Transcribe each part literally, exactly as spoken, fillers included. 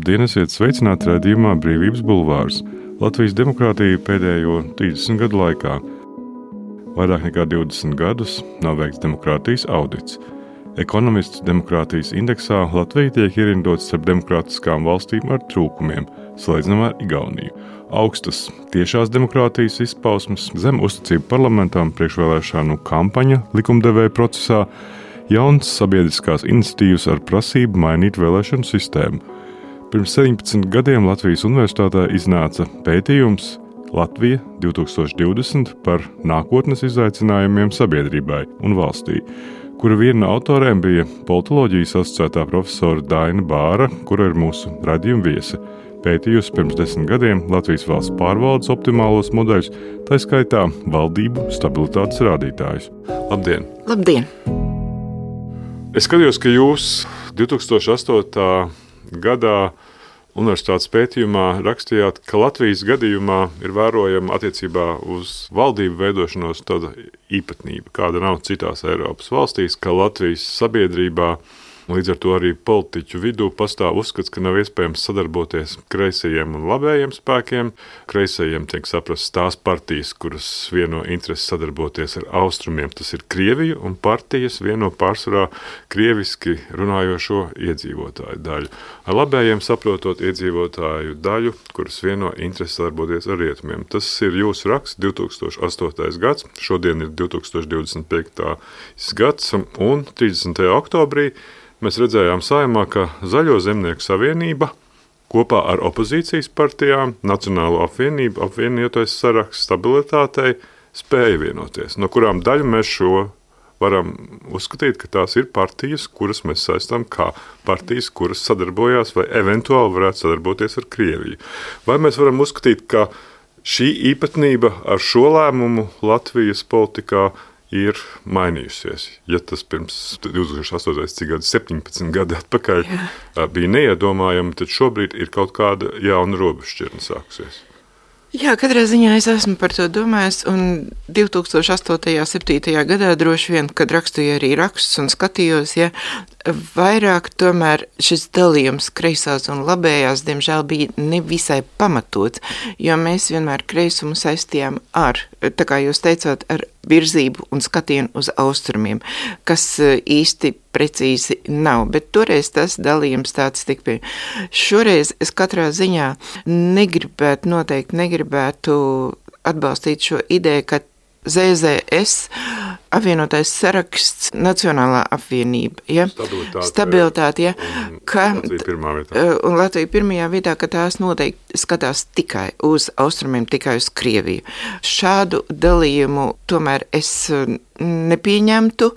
Labdien, esiet sveicināti raidījumā Brīvības bulvārs. Latvijas demokrātija pēdējo trīsdesmit gadu laikā. Vairāk nekā divdesmit gadus nav veikts demokrātijas audits. Ekonomists demokrātijas indeksā Latvija tiek ierindots starp demokrātiskām valstīm ar trūkumiem, salīdzinām ar Igauniju. Augstas tiešās demokrātijas izpausmes, zem uzticība parlamentam, priekšvēlēšanu kampaņa likumdevēja procesā, jauns sabiedriskās iniciatīvas ar prasību mainīt vēlēšanu sistēmu. Pirms septiņpadsmit gadiem Latvijas universitātē iznāca pētījums Latvija divtūkstoš divdesmit par nākotnes izaicinājumiem sabiedrībai un valstī, kura viena no autoriem bija politoloģijas asociētā profesora Daina Bāra, kura ir mūsu raidījuma viese. Pētījusi pirms desmit gadiem Latvijas valsts pārvaldes optimālos modeļus, tā skaitā valdību stabilitātes rādītājus. Labdien! Labdien! Es skatījos, ka jūs divtūkstoš astotajā gadā universitātes pētījumā rakstījāt, ka Latvijas gadījumā ir vērojama attiecībā uz valdību veidošanos tāda īpatnība, kāda nav citās Eiropas valstīs, ka Latvijas sabiedrībā, līdz ar to arī politiķu vidū pastāv uzskats, ka nav iespējams sadarboties kreisajiem un labējiem spēkiem. Kreisajiem tiek saprast tās partijas, kuras vieno interesi sadarboties ar austrumiem, tas ir Krievija, un partijas vieno pārsvarā krieviski runājošo iedzīvotāju daļu. Ar labējiem saprotot iedzīvotāju daļu, kuras vieno interesi sadarboties ar rietumiem. Tas ir jūsu raksts, divtūkstoš astotais gads, šodien ir divtūkstoš divdesmit piektais gads, un trīsdesmitajā oktobrī mēs redzējām Saeimā, ka Zaļo zemnieku savienība kopā ar opozīcijas partijām, Nacionālo apvienību, apvienotais saraksts stabilitātei spēja vienoties, no kurām daļu mēs šo varam uzskatīt, ka tās ir partijas, kuras mēs saistām kā partijas, kuras sadarbojās vai eventuāli varētu sadarboties ar Krieviju. Vai mēs varam uzskatīt, ka šī īpatnība ar šo lēmumu Latvijas politikā ir mainījusies? Ja tas pirms divtūkstoš astotajā cik gadu, septiņpadsmit gadi atpakaļ Jā. bija neiedomājami, tad šobrīd ir kaut kāda jauna robežšķirne sākusies. Jā, katrā ziņā es esmu par to domājis, un divtūkstoš astotajā septītajā gadā droši vien, kad rakstīju arī rakstus un skatījos, ja, vairāk tomēr šis dalījums kreisās un labējās, diemžēl, bija nevisai pamatots, jo mēs vienmēr kreisumu saistījām ar, tā kā jūs teicāt, ar virzību un skatienu uz austrumiem, kas īsti precīzi nav, bet toreiz tas dalījums tāds tik pie. Šoreiz es katrā ziņā negribētu, noteikti negribētu atbalstīt šo ideju, ka zet zet es, apvienotais saraksts, Nacionālā apvienība, ja? Stabilitāte, Stabilitāte ja? ka, Latvija pirmā vietā. Un Latvija pirmajā vietā, ka tās noteikti skatās tikai uz austrumiem, tikai uz Krieviju. Šādu dalījumu tomēr es nepieņemtu,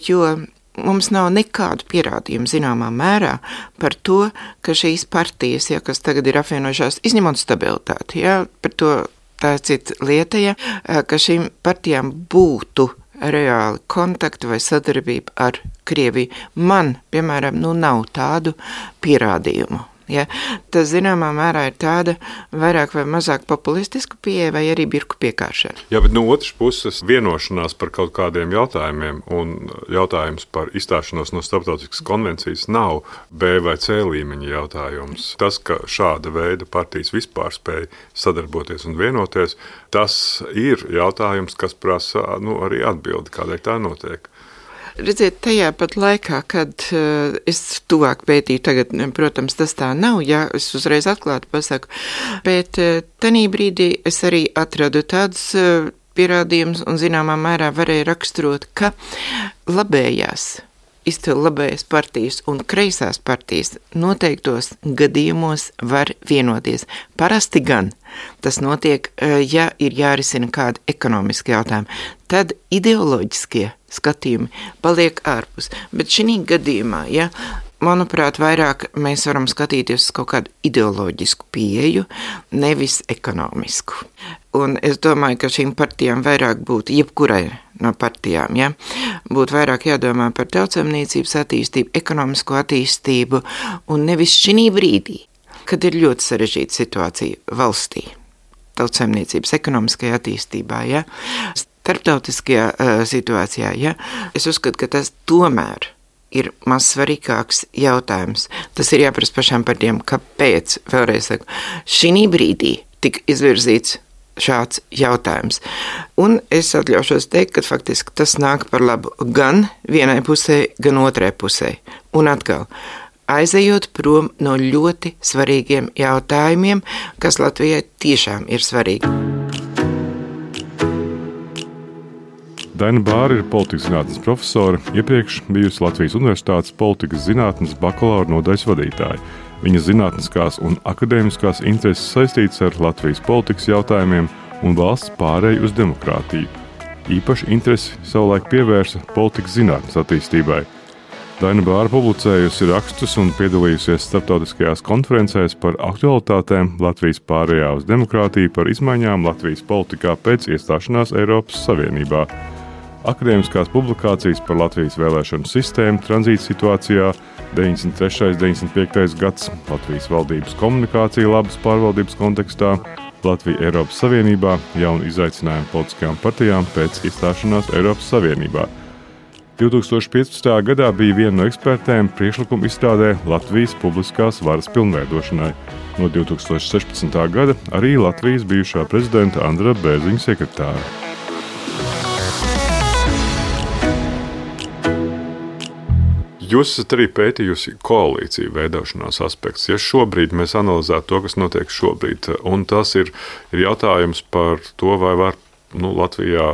jo mums nav nekādu pierādījumu zināmā mērā par to, ka šīs partijas, ja, kas tagad ir apvienojušās, izņemot stabilitāti, ja, par to tā ir cita lieta, ja, ka šīm partijām būtu reāli kontakti vai sadarbība ar Krieviju. Man, piemēram, nu nav tādu pierādījumu. Ja? Tas zināmā mērā ir tāda vairāk vai mazāk populistiska pieeja vai arī birku piekāršana. Jā, bet no otras puses vienošanās par kaut kādiem jautājumiem un jautājums par izstāšanos no starptautiskas konvencijas nav B vai C līmeņa jautājums. Tas, ka šāda veida partijas vispār spēj sadarboties un vienoties, tas ir jautājums, kas prasa nu, arī atbildi, kādēļ tā notiek. Redziet, tajā pat laikā, kad uh, es tuvāk pētīju, tagad, protams, tas tā nav, ja es uzreiz atklāti pasaku, bet uh, tanī brīdī es arī atradu tādus uh, pierādījumus un zināmā mērā varēju raksturot, ka labējās, izcili labējās partijas un kreisās partijas noteiktos gadījumos var vienoties. Parasti gan tas notiek, ja ir jārisina kādi ekonomiski jautājumi. Tad ideoloģiskie skatījumi paliek ārpus. Bet šī gadījumā, ja, manuprāt, vairāk mēs varam skatīties uz kaut kādu ideoloģisku pieeju, nevis ekonomisku. Un es domāju, ka šīm partijām vairāk būtu, jebkurai no partijām, ja, būtu vairāk jādomā par tautsaimniecības attīstību, ekonomisko attīstību, un nevis šī brīdī, kad ir ļoti sarežģīta situācija valstī, tautsaimniecības ekonomiskajā attīstībā, ja, starptautiskajā uh, situācijā, ja, es uzskatu, ka tas tomēr ir mazsvarīgāks jautājums. Tas ir jāprast pašām par tiem, kāpēc, vēlreiz saku, šī brīdī tika izvirzīts šāds jautājums. Un es atļaušos teikt, ka faktiski tas nāk par labu gan vienai pusē, gan otrai pusē. Un atkal, aizejot prom no ļoti svarīgiem jautājumiem, kas Latvijai tiešām ir svarīgi. Daina Bāra ir politikas zinātnes profesore, iepriekš bijusi Latvijas Universitātes politikas zinātnes bakalaura nodaļas vadītāja. Viņas zinātniskās un akadēmiskās intereses saistītas ar Latvijas politikas jautājumiem un valsts pārēju uz demokrātiju. Īpaši interesi savulaik pievērsa politikas zinātnes attīstībai. Daina Bāra publicējusi rakstus un piedalījusies starptautiskajās konferencēs par aktualitātēm Latvijas pārējā uz demokrātiju, par izmaiņām Latvijas politikā pēc iestāšanās Eiropas Savienībā. Akadēmiskās publikācijas par Latvijas vēlēšanu sistēmu tranzīta situācijā, deviņdesmit trešais un deviņdesmit piektais gads, Latvijas valdības komunikācija labas pārvaldības kontekstā, Latvija Eiropas Savienībā, jauni izaicinājumi politiskajām partijām pēc iestāšanās Eiropas Savienībā. divi tūkstoši piecpadsmitajā gadā bija viena no ekspertēm priekšlikuma izstrādē Latvijas publiskās varas pilnveidošanai. No divi tūkstoši sešpadsmitā gada arī Latvijas bijušā prezidenta Andra Bērziņa sekretāra. Jūs esat arī pētījusi koalīciju veidošanās aspektus. Ja šobrīd mēs analizētu to, kas notiek šobrīd, un tas ir, ir jautājums par to, vai var nu, Latvijā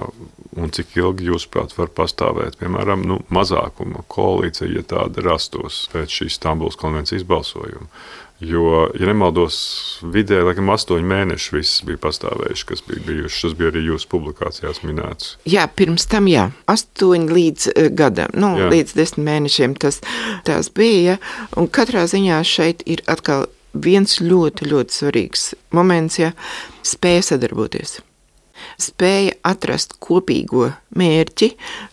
un cik ilgi jūsuprāt var pastāvēt, piemēram, nu, mazākuma koalīcija, ja tāda rastos pēc šīs Stambulas konvencijas balsojuma. Jo, ja nemaldos, vidē, laikam, astoņi mēneši viss bija pastāvējuši, kas bija bijuši. Tas bija arī jūsu publikācijās minēts. Jā, pirms tam, jā. Astoņi līdz uh, gadam, nu, jā. līdz desmit mēnešiem tas tās bija. Un katrā ziņā šeit ir atkal viens ļoti, ļoti svarīgs moments, ja spēja sadarboties. Spēja atrast kopīgo mērķi,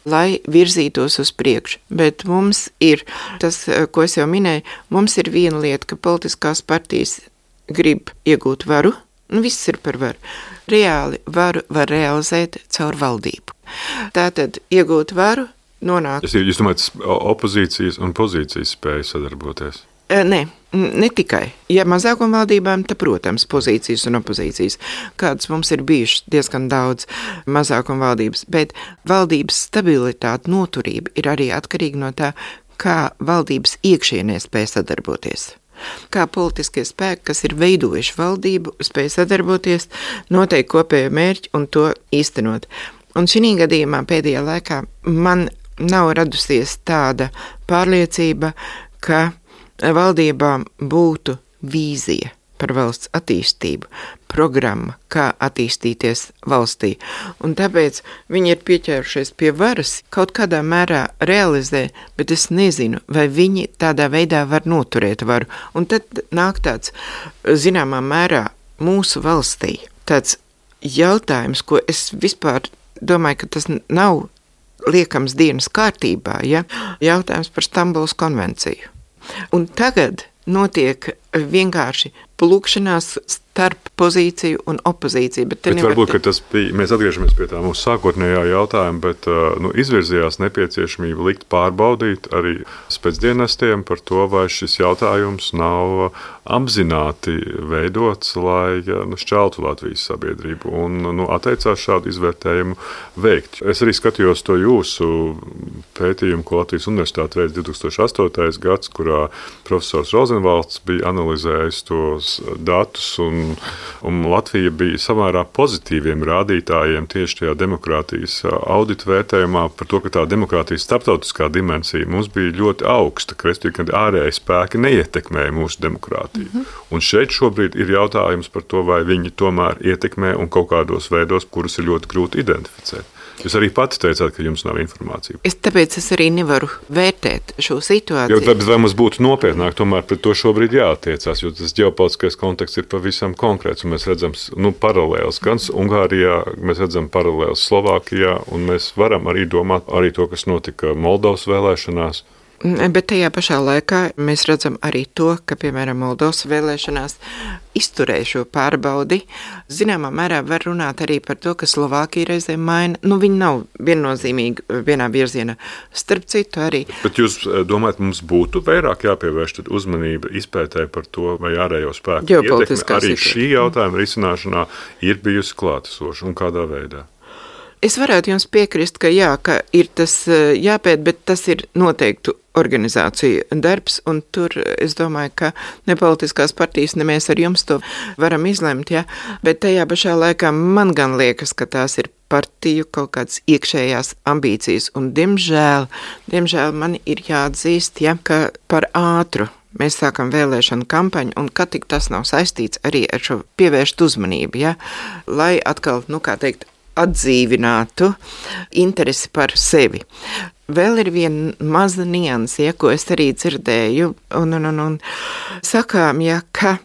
lai virzītos uz priekšu. Bet mums ir, tas, ko es jau minēju, mums ir viena lieta, ka politiskās partijas grib iegūt varu, un viss ir par varu. Reāli varu var realizēt caur valdību. Tātad iegūt varu, nonāk... Es jūs domājat, opozīcijas un pozīcijas spēja sadarboties? Nē, ne tikai. Ja mazākuma valdībām, tad, protams, pozīcijas un opozīcijas, kādas mums ir bijušas diezgan daudz mazākuma valdības, bet valdības stabilitāte, noturība ir arī atkarīga no tā, kā valdības iekšienē spēj sadarboties. Kā politiskie spēki, kas ir veidojuši valdību, spēj sadarboties, noteikti kopējo mērķi un to īstenot. Un šī gadījumā pēdējā laikā man nav radusies tāda pārliecība, ka valdībām būtu vīzija par valsts attīstību, programma, kā attīstīties valstī. Un tāpēc viņi ir pieķērušies pie varas, kaut kādā mērā realizē, bet es nezinu, vai viņi tādā veidā var noturēt varu. Un tad nāk tāds, zināmā mērā, mūsu valstī tāds jautājums, ko es vispār domāju, ka tas nav liekams dienas kārtībā, ja? Jautājums par Stambulas konvenciju. Un tagad notiek vienkārši plūkšanās starp pozīciju un opozīciju. Bet, bet varbūt, ka tas bija, mēs atgriežamies pie tā mūsu sākotnējā jautājuma, bet nu, izvirzījās nepieciešamība likt pārbaudīt arī spēcdienestiem par to, vai šis jautājums nav apzināti veidots, lai nu, šķeltu Latvijas sabiedrību un nu, atteicās šādu izvērtējumu veikt. Es arī skatījos to jūsu pētījumu, ko Latvijas Universitāte veids divi tūkstoši astotais gads, kurā profesors Rozenvalds bija analizējis tos datus, un, un Latvija bija samērā pozitīviem rādītājiem tieši tajā demokrātijas audita vērtējumā par to, ka tā demokrātijas starptautiskā dimensija mums bija ļoti augsta, ka ārēji spēki neietekmēja mūsu demokrātiju. Mm-hmm. Un šeit šobrīd ir jautājums par to, vai viņi tomēr ietekmē un kaut kādos veidos, kurus ir ļoti grūti identificēt. Jūs arī pati teicāt, ka jums nav informācija. Es tāpēc es arī nevaru vērtēt šo situāciju. Jo tad vai mums būtu nopietnāk tomēr pret to šobrīd jāattiecās, jo tas ģeopolitiskais konteksts ir pavisam konkrēts, un mēs redzam nu, paralēls gan Ungārijā, mēs redzam paralēls Slovākijā, un mēs varam arī domāt arī to, kas notika Moldovas vēlēšanās. Bet tajā pašā laikā mēs redzam arī to, ka, piemēram, Moldovas vēlēšanās izturēja šo pārbaudi. Zināmā mērā var runāt arī par to, ka Slovākija reizēm maina. Nu, viņi nav viennozīmīgi vienā virzienā. Starp citu arī. Bet jūs domājat, mums būtu vairāk jāpievērš uzmanība izpētē par to, vai ārējo spēku ietekme arī šī jautājuma risināšanā ir bijusi klātesoša un kādā veidā? Es varētu jums piekrist, ka jā, ka ir tas jāpēt, bet tas ir noteiktu organizāciju darbs, un tur es domāju, ka ne politiskās partijas, ne mēs ar jums to varam izlemt, ja? Bet tajā pašā laikā man gan liekas, ka tās ir partiju kaut kādas iekšējās ambīcijas, un diemžēl, diemžēl man ir jāatzīst, ja, ka par ātru mēs sākam vēlēšanu kampaņu, un kad tik tas nav saistīts arī ar šo pievērst uzmanību, ja? Lai atkal, nu kā teikt, atdzīvinātu interesi par sevi. Vēl ir viena maza nianse, ja, ko es arī dzirdēju, un, un, un, un sakām, ja, ka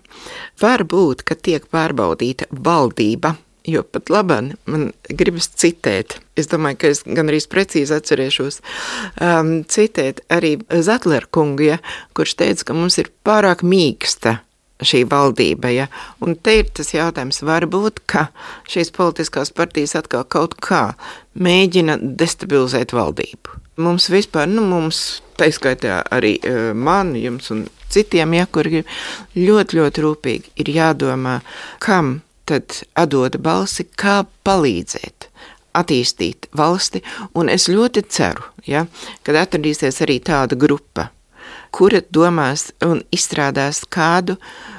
var būt, ka tiek pārbaudīta valdība, jo pat labāk man gribas citēt. Es domāju, ka es gan arī precīzi atcerēšos um, citēt arī Zetlera kungu, ja, kurš teica, ka mums ir pārāk mīksta šī valdība, ja? Un te ir tas jautājums, varbūt, ka šīs politiskās partijas atkal kaut kā mēģina destabilizēt valdību. Mums vispār, nu mums, taiskaitā arī man, jums un citiem, ja, kuri ļoti, ļoti rūpīgi ir jādomā, kam tad atdod balsi, kā palīdzēt attīstīt valsti, un es ļoti ceru, ja, kad atradīsies arī tāda grupa, kura domās un izstrādās kādu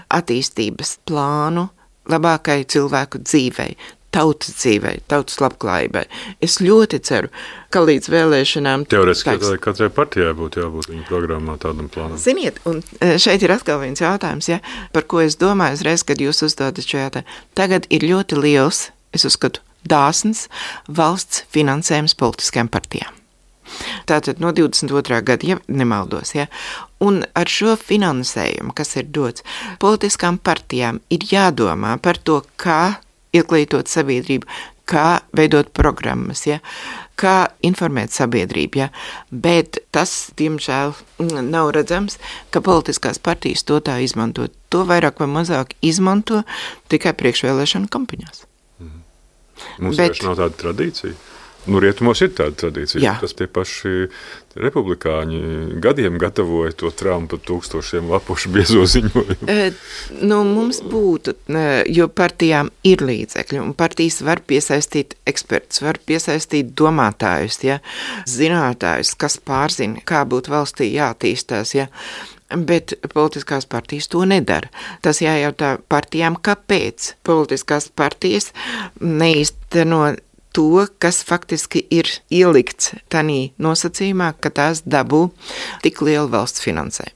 attīstības plānu labākai cilvēku dzīvei, tautas dzīvei, tautas labklājībai. Es ļoti ceru, ka līdz vēlēšanām... Teorētiski katrai partijai būtu jābūt viņa programmā tādam plānam. Ziniet, un šeit ir atkal viens jautājums, ja, par ko es domāju uzreiz, kad jūs uzdodat šo jautājumu. Tagad ir ļoti liels, es uzskatu, dāsns valsts finansējums politiskajām partijām. Tātad no divdesmit otrā gada, ja nemaldos, ja, un ar šo finansējumu, kas ir dots, politiskām partijām ir jādomā par to, kā ieklītot sabiedrību, kā veidot programmas, ja, kā informēt sabiedrību, ja, bet tas, diemžēl, nav redzams, ka politiskās partijas to tā izmanto. To vairāk vai mazāk izmanto tikai priekšvēlēšanu kampaņās. Mhm. Mums bet, nav tāda tradīcija. Nu, rietumos ir tāda tradīcija. Jā. Tas tie paši republikāņi gadiem gatavoja to Trumpa tūkstošiem lapušu biezo ziņojumu. E, nu, mums būtu, jo partijām ir līdzekļi, un partijas var piesaistīt ekspertus, var piesaistīt domātājus, ja, zinātājus, kas pārzina, kā būtu valstī jātīstās, ja. Bet politiskās partijas to nedara. Tas jājautā partijām, kāpēc politiskās partijas neīsteno to, kas faktiski ir ielikts tanī nosacījumā, ka tās dabū tik lielu valsts finansējumu.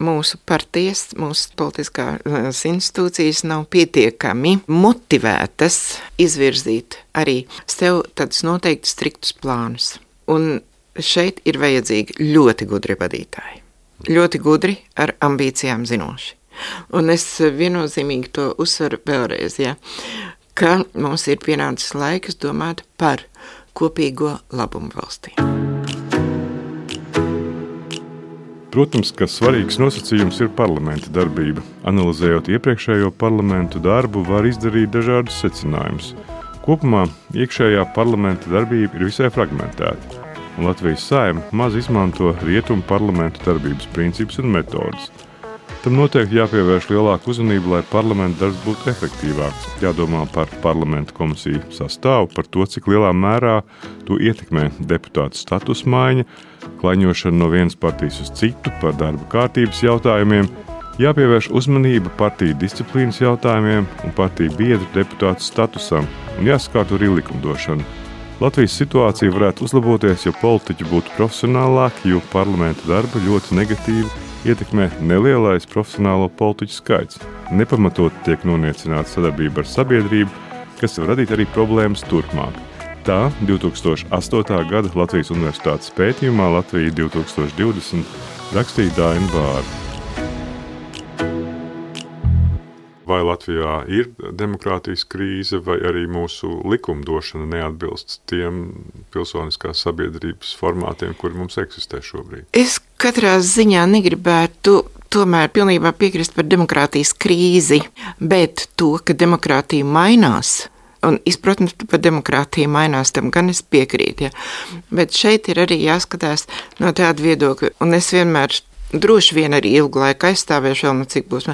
Mūsu partijas, mūsu politiskās institūcijas nav pietiekami motivētas izvirzīt arī sev tādus noteikti striktus plānus. Un šeit ir vajadzīgi ļoti gudri vadītāji. Ļoti gudri ar ambīcijām zinoši. Un es viennozīmīgi to uzsveru vēlreiz, ja, ka mums ir pienācis laiks domāt par kopīgo labumu valstī. Protams, ka svarīgs nosacījums ir parlamenta darbība. Analizējot iepriekšējo parlamentu darbu, var izdarīt dažādus secinājumus. Kopumā iekšējā parlamenta darbība ir visai fragmentēta, un Latvijas Saeima maz izmanto rietumu parlamentu darbības principus un metodas. Tam noteikti jāpievērš lielāka uzmanība, lai parlamenta darbs būtu efektīvāks. Jādomā par parlamenta komisiju sastāvu, par to, cik lielā mērā to ietekmē deputātu status maiņa, klaņošana no vienas partijas uz citu, par darba kārtības jautājumiem, jāpievērš uzmanība partiju disciplīnas jautājumiem un partiju biedru deputātu statusam un jāsakārto arī likumdošana. Latvijas situācija varētu uzlaboties, ja politiķi būtu profesionālāki, jo parlamenta darba ļoti negatīvi ietekmē nelielais profesionālo politiķu skaits. Nepamatot tiek noniecināta sadarbība ar sabiedrību, kas var radīt arī problēmas turpmāk. Tā divi tūkstoši astotā gada Latvijas Universitātes pētījumā Latvija divi tūkstoši divdesmit rakstīja Daina Bāra. vai Latvijā ir demokrātijas krīze, vai arī mūsu likumdošana neatbilst tiem pilsoniskās sabiedrības formātiem, kuri mums eksistē šobrīd. Es katrā ziņā negribētu tomēr pilnībā piekrist par demokrātijas krīzi, bet to, ka demokrātija mainās, un izpratnes par demokrātiju mainās, tam gan es piekrītu, ja. Bet šeit ir arī jāskatās no tāda viedokļa, un es vienmēr droši vien arī ilgu laiku aizstāvēšu vēl, nu cik būs,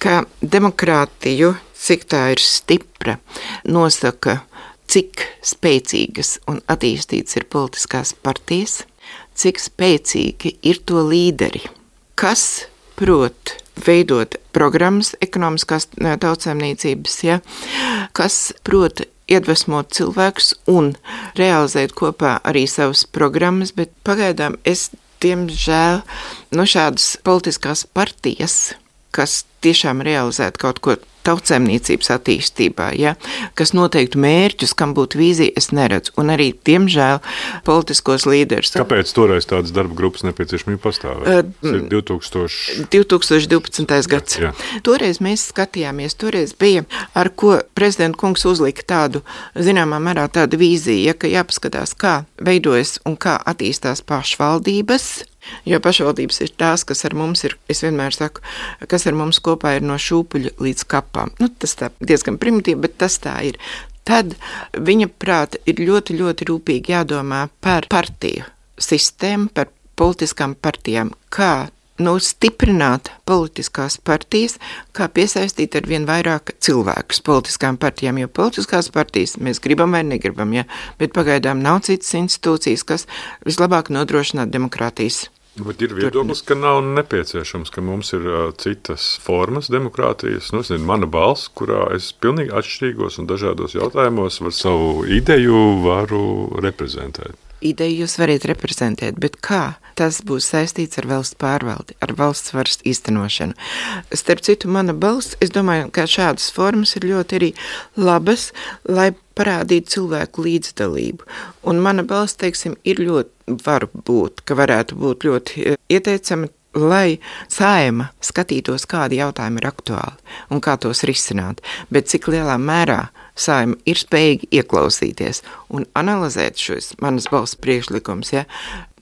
ka demokrātiju, cik tā ir stipra, nosaka, cik spēcīgas un attīstītas ir politiskās partijas, cik spēcīgi ir to līderi, kas prot veidot programmas ekonomiskās tautsēmniecības, ja, kas prot iedvesmot cilvēkus un realizēt kopā arī savas programmas, bet pagaidām es, diemžēl, no šādas politiskās partijas, kas tiešām realizētu kaut ko tautsēmniecības attīstībā, ja, kas noteiktu mērķus, kam būtu vīzija, es neredzu. Un arī, diemžēl, politiskos līderus. Kāpēc toreiz tādas darba grupas nepieciešamība pastāvēja? Tas ir divtūkstoš divpadsmitais gads. Jā. Toreiz mēs skatījāmies, toreiz bija, ar ko prezidenta kungs uzlika tādu, zināmā mērā tādu vīziju, ja, ka jāpaskatās, kā veidojas un kā attīstās pašvaldības, jo pašvaldības ir tās, kas ar mums ir, es vienmēr saku, kas ar mums kopā ir no šūpuļa līdz kapām. Nu, tas tā diezgan primitīvi, bet tas tā ir. Tad viņa prāta ir ļoti, ļoti rūpīgi jādomā par partiju sistēmu, par politiskām partijām, kā nu, stiprināt politiskās partijas, kā piesaistīt ar vien vairāk cilvēkus politiskām partijām, jo politiskās partijas mēs gribam vai negribam, ja, bet pagaidām nav citas institūcijas, kas vislabāk nodrošināt demokrātijas. Bet ir viedoklis, ka nav nepieciešams, ka mums ir uh, citas formas demokrātijas. Nu, es nezinu, mana balss, kurā es pilnīgi atšķirīgos un dažādos jautājumos var savu ideju varu reprezentēt. Ideju jūs varat reprezentēt, bet kā? Tas būs saistīts ar valsts pārvaldi, ar valsts varas īstenošanu. Starp citu, mana balss, es domāju, ka šādas formas ir ļoti arī labas, lai parādītu cilvēku līdzdalību. Un mana balss, teiksim, ir ļoti, var būt, ka varētu būt ļoti ieteicama, lai Saeima skatītos, kādi jautājumi ir aktuāli un kā tos risināt, bet cik lielā mērā Saeima ir spējīgi ieklausīties un analizēt šos manas balss priekšlikums, ja,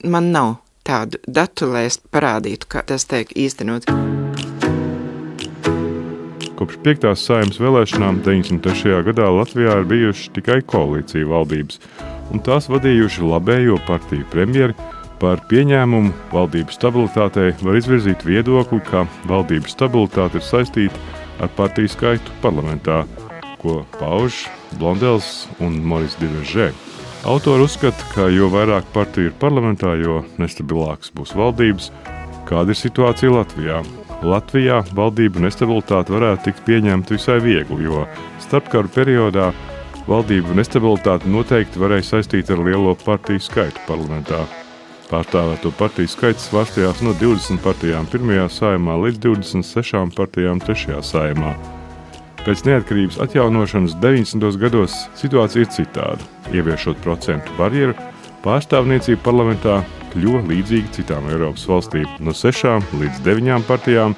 man nav tādu datu, lai es parādītu, kā tas tiek īstenots. Kopš piektās Saeimas vēlēšanām deviņdesmit trešajā gadā Latvijā ir bijuši tikai koalīcija valdības, un tās vadījuši labējo partiju premjeri. Par pieņēmumu valdības stabilitātei var izvirzīt viedokli, ka valdības stabilitāte ir saistīta ar partiju skaitu parlamentā, ko pauž Blondels un Moris Diveržē. Autori uzskata, ka jo vairāk partiju ir parlamentā, jo nestabilāks būs valdības. Kāda ir situācija Latvijā? Latvijā valdību nestabilitāte varētu tikt pieņemta visai viegli, jo starpkaru periodā valdību nestabilitāte noteikti varēja saistīt ar lielo partiju skaitu parlamentā. Pārstāvēto partiju skaits svārstījās no divdesmit partijām pirmajā Saeimā līdz divdesmit sešām partijām trešajā Saeimā. Pēc neatkarības atjaunošanas deviņdesmitos gados situācija ir citāda. Ieviešot procentu barjeru, pārstāvniecība parlamentā kļuva līdzīga citām Eiropas valstīm no sešām līdz deviņām partijām,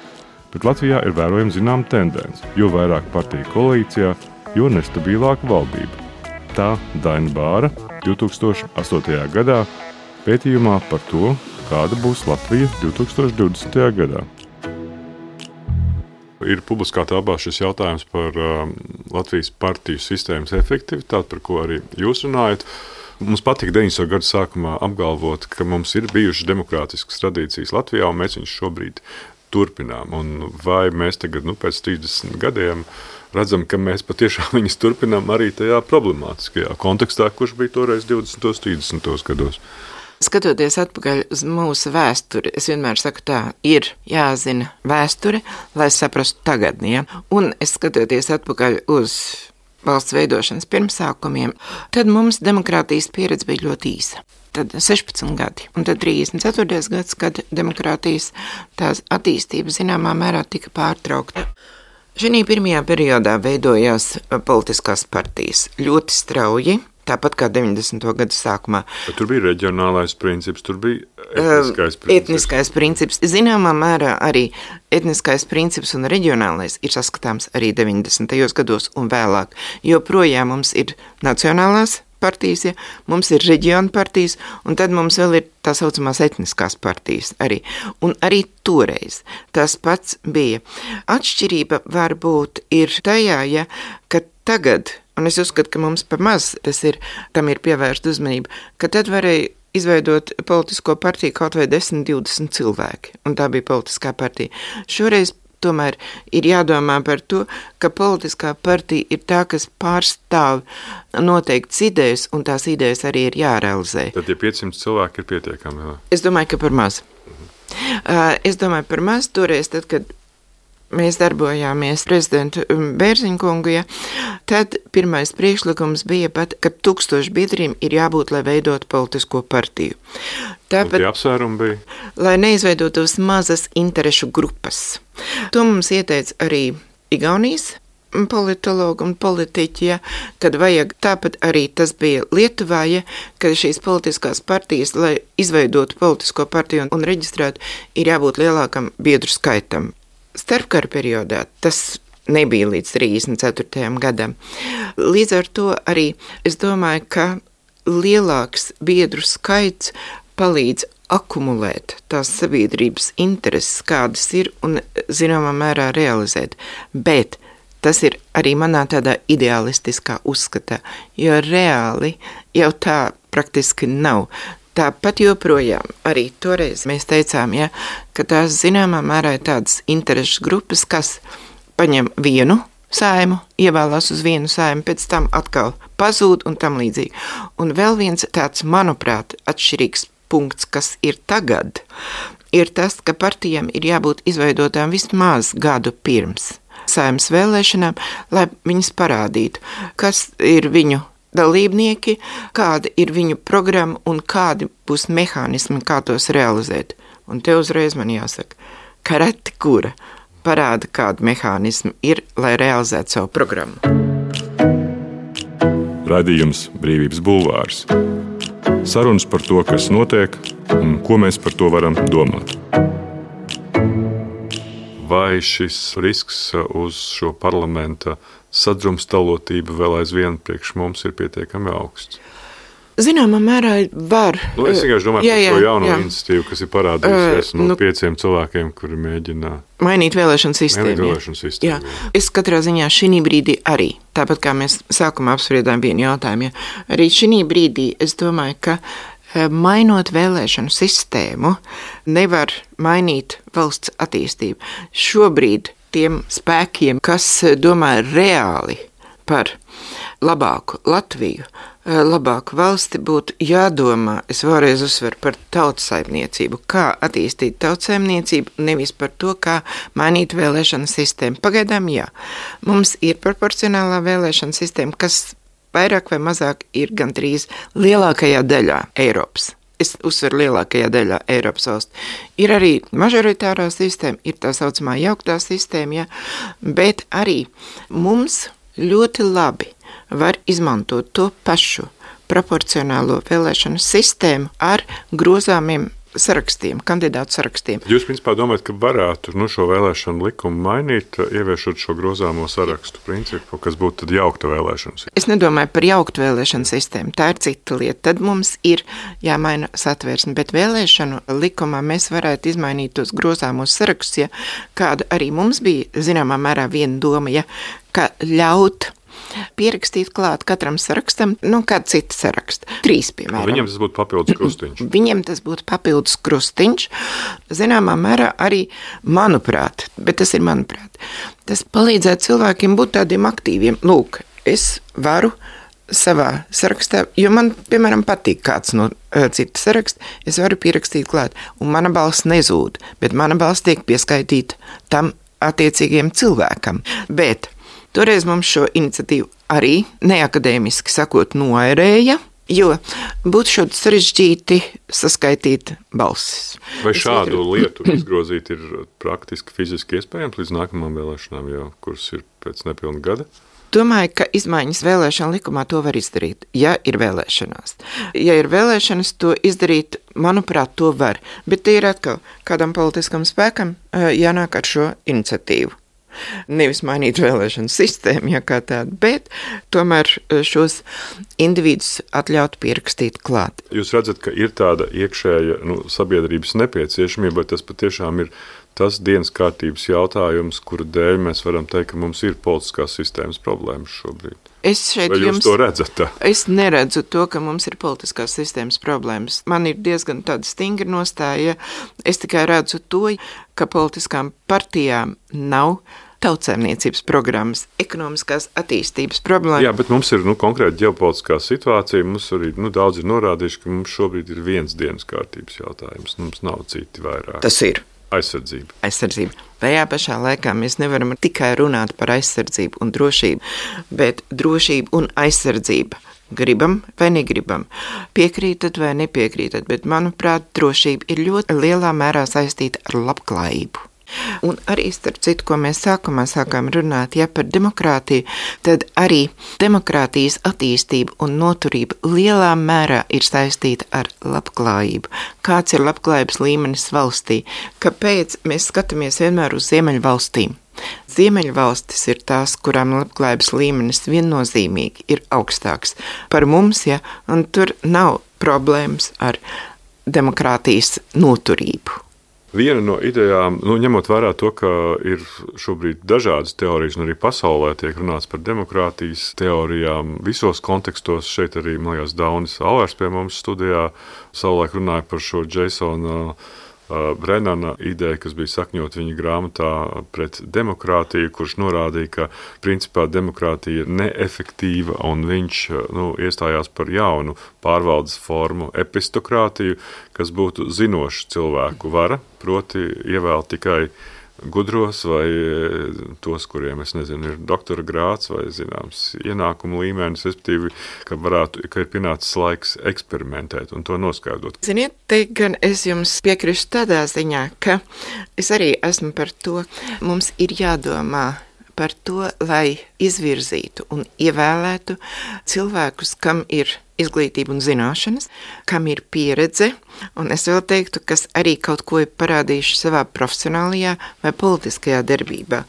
bet Latvijā ir vērojama zinām tendence. Jo vairāk partiju koalīcijā, jo nestabilāka valdība. Tā Daina Bāra divtūkstoš astotajā gadā pētījumā par to, kāda būs Latvija divtūkstoš divdesmitajā gadā. Ir publiskā telpā šis jautājums par uh, Latvijas partiju sistēmas efektivitāti, par ko arī jūs runājat. Mums patika deviņdesmito gadu sākumā apgalvot, ka mums ir bijušas demokrātiskas tradīcijas Latvijā, un mēs viņus šobrīd turpinām. Un vai mēs tagad, nu, pēc trīsdesmit gadiem redzam, ka mēs patiešām viņus turpinām arī tajā problemātiskajā kontekstā, kurš bija toreiz divdesmitos, trīsdesmitos gados? Skatoties atpakaļ uz mūsu vēsturi, es vienmēr saku tā, ir jāzina vēsture, lai saprastu tagadni, ja? Un es skatoties atpakaļ uz valsts veidošanas pirmsākumiem, tad mums demokrātijas pieredze bija ļoti īsa. Tad sešpadsmit gadi, un tad trīsdesmit ceturtais gads, kad demokrātijas tās attīstība zināmā mērā tika pārtraukta. Šī pirmajā periodā veidojās politiskās partijas ļoti strauji. tāpat kā deviņdesmito gadu sākumā. Bet tur bija reģionālais princips, tur bija etniskais princips. Etniskais princips. Zināmā mērā arī etniskais princips un reģionālais ir saskatāms arī deviņdesmitajos gados un vēlāk, jo projām mums ir nacionālās partijas, ja, mums ir reģiona partijas, un tad mums vēl ir tā saucamās etniskās partijas arī. Un arī toreiz tas pats bija. Atšķirība varbūt ir tajā, ja, ka tagad, un es uzskatu, ka mums par maz tas ir, tam ir pievērsta uzmanība, ka tad varēja izveidot politisko partiju kaut vai desmit, divdesmit cilvēki, un tā bija politiskā partija. Šoreiz tomēr ir jādomā par to, ka politiskā partija ir tā, kas pārstāv noteikts idejas, un tās idejas arī ir jārealizē. Tad tie piecsimt cilvēki ir pietiekami, jā? Es domāju, ka par maz. Uh, es domāju par maz toreiz, tad, kad mēs darbojāmies prezidentu Bērziņa kungu, ja, tad pirmais priekšlikums bija pat, ka tūkstoši biedriem ir jābūt, lai veidot politisko partiju. Tāpat, un tie apsvērumi bija? Lai neizveidotos mazas interešu grupas. To mums ieteica arī Igaunijas politologi un politiķi, ja, kad vajag, tāpat arī tas bija Lietuvā, ja, kad šīs politiskās partijas, lai izveidotu politisko partiju un, un reģistrētu, ir jābūt lielākam biedru skaitam. Starpkara periodā tas nebija līdz trīsdesmit ceturtajam gadam. Līdz ar to arī es domāju, ka lielāks biedru skaits palīdz akumulēt tās sabiedrības intereses, kādas ir, un zināmā mērā realizēt. Bet tas ir arī manā tādā idealistiskā uzskatā, jo reāli jau tā praktiski nav. Tāpat joprojām arī toreiz mēs teicām, ja, ka tās zināmā mērā ir tādas interešu grupas, kas paņem vienu saimu, ievēlās uz vienu saimu, pēc tam atkal pazūd un tam līdzīgi. Un vēl viens tāds, manuprāt, atšķirīgs punkts, kas ir tagad, ir tas, ka partijām ir jābūt izveidotām vismaz gadu pirms saimas vēlēšanām, lai viņas parādītu, kas ir viņu dalībnieki, kāda ir viņu programma un kādi būs mehānismi, kā tos realizēt. Un te uzreiz man jāsaka, ka reti kura parāda, kāda mehānismi ir, lai realizētu savu programmu. Raidījums Brīvības bulvārs. Sarunas par to, kas notiek un ko mēs par to varam domāt. Vai šis risks uz šo parlamenta sadrumstalotība vēl aizvien priekš mums ir pietiekami augsts? Zināmā mērā var. Nu, es vienkārši domāju jā, par šo jauno jā. iniciatīvu, kas ir parādījusies uh, no nu, pieciem cilvēkiem, kuri mēģina mainīt vēlēšanu sistēmu. Mainīt vēlēšanu sistēmu jā. Jā. Es katrā ziņā šī brīdī arī, tāpat kā mēs sākumā apspriedām vienu jautājumu, ja, arī šī brīdī es domāju, ka mainot vēlēšanu sistēmu, nevar mainīt valsts attīstību. Šobrīd tiem spēkiem, kas domā reāli par labāku Latviju, labāku valsti, būtu jādomā, es vēlreiz uzsveru par tautsaimniecību, kā attīstīt tautsaimniecību, nevis par to, kā mainīt vēlēšanu sistēmu. Pagaidām jā, mums ir proporcionālā vēlēšana sistēma, kas vairāk vai mazāk ir gandrīz lielākajā daļā Eiropas. Es uzsveru lielākajā daļā Eiropas valsts. Ir arī mažoritārā sistēma, ir tā saucamā jauktā sistēma, ja, bet arī mums ļoti labi var izmantot to pašu proporcionālo vēlēšanu sistēmu ar grozāmiem sarakstiem, kandidātu sarakstiem. Jūs, principā, domājat, ka varētu nu, šo vēlēšanu likumu mainīt, ieviešot šo grozāmo sarakstu principu, kas būtu tad jaukta vēlēšana sistēma? Es nedomāju par jauktu vēlēšanu sistēmu, tā ir cita lieta. Tad mums ir jāmaina satvērsme, bet vēlēšanu likumā mēs varētu izmainīt tos grozāmos sarakstus, ja, kāda arī mums bija, zināmā mērā, viena doma, ja, ka ļaut pierakstīt klāt katram sarakstam, nu, kāda cita saraksta. Trīs, piemēram. Viņam tas būtu papildus krustiņš. Viņam tas būtu papildus krustiņš. Zināmā mērā arī, manuprāt, bet tas ir manuprāt, tas palīdzētu cilvēkiem būt tādiem aktīviem. Lūk, es varu savā sarakstā, jo man, piemēram, patīk kāds no uh, cita saraksta, es varu pierakstīt klāt, un mana balss nezūd, bet mana balss tiek pieskaitīta tam attiecīgiem cilvēkam. Bet toreiz mums šo iniciatīvu arī neakadēmiski sakot noērēja, jo būtu šādi sarežģīti saskaitīt balsis. Vai šādu lietu izgrozīt ir praktiski fiziski iespējams līdz nākamām vēlēšanām, jau, kuras ir pēc nepilna gada? domāju, ka izmaiņas vēlēšana likumā to var izdarīt, ja ir vēlēšanās. Ja ir vēlēšanas, to izdarīt, manuprāt, to var. Bet tie ir atkal kādam politiskam spēkam jānāk ar šo iniciatīvu. Nevis mainīt vēlēšanu sistēmu, ja kā tāda, bet tomēr šos individus atļaut pierakstīt klāt. Jūs redzat, ka ir tāda iekšēja nu, sabiedrības nepieciešamība, vai tas patiešām ir tas dienas kārtības jautājums, kura dēļ mēs varam teikt, ka mums ir politiskās sistēmas problēmas šobrīd? Es šeit vai jūs jums, to redzat? Tā? Es neredzu to, ka mums ir politiskās sistēmas problēmas. Man ir diezgan tāda stingra nostāja. Es tikai redzu to, ka politiskām partijām nav tautsēmniecības programmas, ekonomiskās attīstības problēma. Jā, bet mums ir nu, konkrēti ģeopolitiskā situācija. Mums arī nu, daudz ir norādījuši, ka mums šobrīd ir viens dienas kārtības jautājums. Mums nav citi vairāk. Tas ir. Aizsardzība. Aizsardzība. Tajā pašā laikā mēs nevaram tikai runāt par aizsardzību un drošību, bet drošība un aizsardzība. Gribam vai negribam, piekrītat vai nepiekrītat, bet, manuprāt, drošība ir ļoti lielā mērā saistīta ar labklājību. Un arī, starp citu, ko mēs sākumā sākām runāt, ja par demokrātiju, tad arī demokrātijas attīstība un noturība lielā mērā ir saistīta ar labklājību. Kāds ir labklājības līmenis valstī? Kāpēc mēs skatāmies vienmēr uz Ziemeļvalstīm? Ziemeļvalstis ir tās, kurām labklājības līmenis viennozīmīgi ir augstāks par mums, ja, un tur nav problēmas ar demokrātijas noturību. Viena no idejām, nu, ņemot vērā to, ka ir šobrīd dažādas teorijas, un arī pasaulē tiek runāts par demokrātijas teorijām visos kontekstos, šeit arī, man liekas, Daunis Alvērs pie mums studijā savulaik runāja par šo Jasona Brennana ideja, kas bija sakņot viņa grāmatā Pret demokrātiju, kurš norādīja, ka principā demokrātija ir neefektīva, un viņš nu, iestājās par jaunu pārvaldes formu epistokrātiju, kas būtu zinoša cilvēku vara, proti ievēl tikai gudros vai tos, kuriem, es nezinu, ir doktora grāds vai, zināms, ienākumu līmenis, respektīvi, ka varētu, ka ir pienācis laiks eksperimentēt un to noskaidrot. Ziniet, te gan es jums piekrišu tādā ziņā, ka es arī esmu par to, mums ir jādomā par to, lai izvirzītu un ievēlētu cilvēkus, kam ir izglītība un zināšanas, kam ir pieredze, un es vēl teiktu, kas arī kaut ko ir parādījuši savā profesionālajā vai politiskajā darbībā.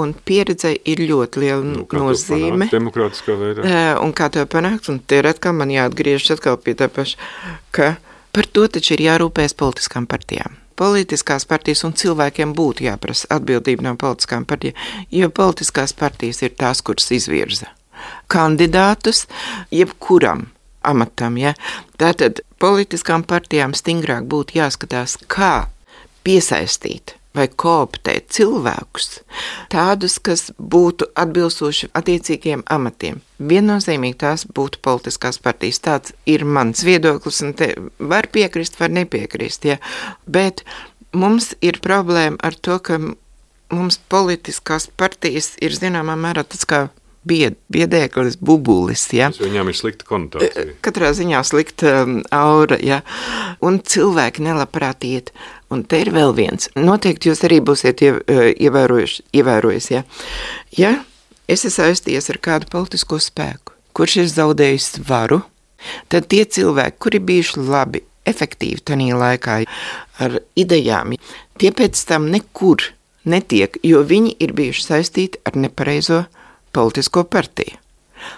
Un pieredze ir ļoti liela nu, nozīme. Panākt, demokrātiskā veidā. Un kā to panākt, un te ir atkal man jāatgriežas atkal pie tā paša, ka par to taču ir jārūpēs politiskām partijām. Politiskās partijas un cilvēkiem būtu jāprasa atbildība no politiskām partijām, jo politiskās partijas ir tās, kuras izvirza kandidātus jebkuram amatam. Ja? Tātad politiskām partijām stingrāk būtu jāskatās, kā piesaistīt vai kooptēt cilvēkus, tādus, kas būtu atbilstoši attiecīgiem amatiem. Viennozīmīgi tās būtu politiskās partijas. Tāds ir mans viedoklis, un te var piekrist, var nepiekrist. Ja? Bet mums ir problēma ar to, ka mums politiskās partijas ir zināmā mērā tāds kā bied, biedēklis, bubulis. Ja? Viņām ir slikta konotācija. Katrā ziņā slikta um, aura, ja? Un cilvēki nelabprāt iet. Un te ir vēl viens. Noteikti jūs arī būsiet ievērojuši, ievērojis, ja? Ja es esmu saistījies ar kādu politisko spēku, kurš ir zaudējis varu, tad tie cilvēki, kuri bijuši labi, efektīvi tanī laikā ar idejām, tie pēc tam nekur netiek, jo viņi ir bijuši saistīti ar nepareizo politisko partiju.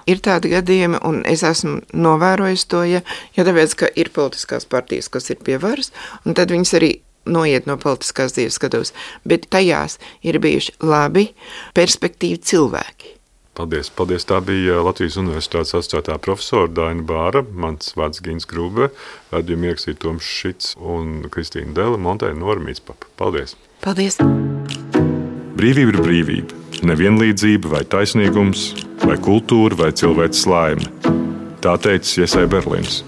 Ir tādi gadījumi, un es esmu novērojis to, ja, ja tāpēc, ka ir politiskās partijas, kas ir pie varas, un tad viņas arī noiet no politiskās dzīves skatos, bet tajās ir bijuši labi, perspektīvi cilvēki. Paldies, paldies. Tā bija Latvijas Universitātes asociētā profesora Daina Bāra, mans vārds Gins Grūbe, raidījumu ierakstīja Toms Šits un Kristīna Dela, montēja Nora Mītspapa. Paldies! Paldies! Brīvība ir brīvība. Nevienlīdzība vai taisnīgums, vai kultūra vai cilvēks laime. Tā teicis Iesai Berlins.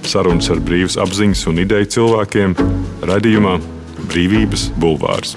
Sarunas ar brīvas apziņas un ideju cilvēkiem raidījumā Brīvības bulvārs.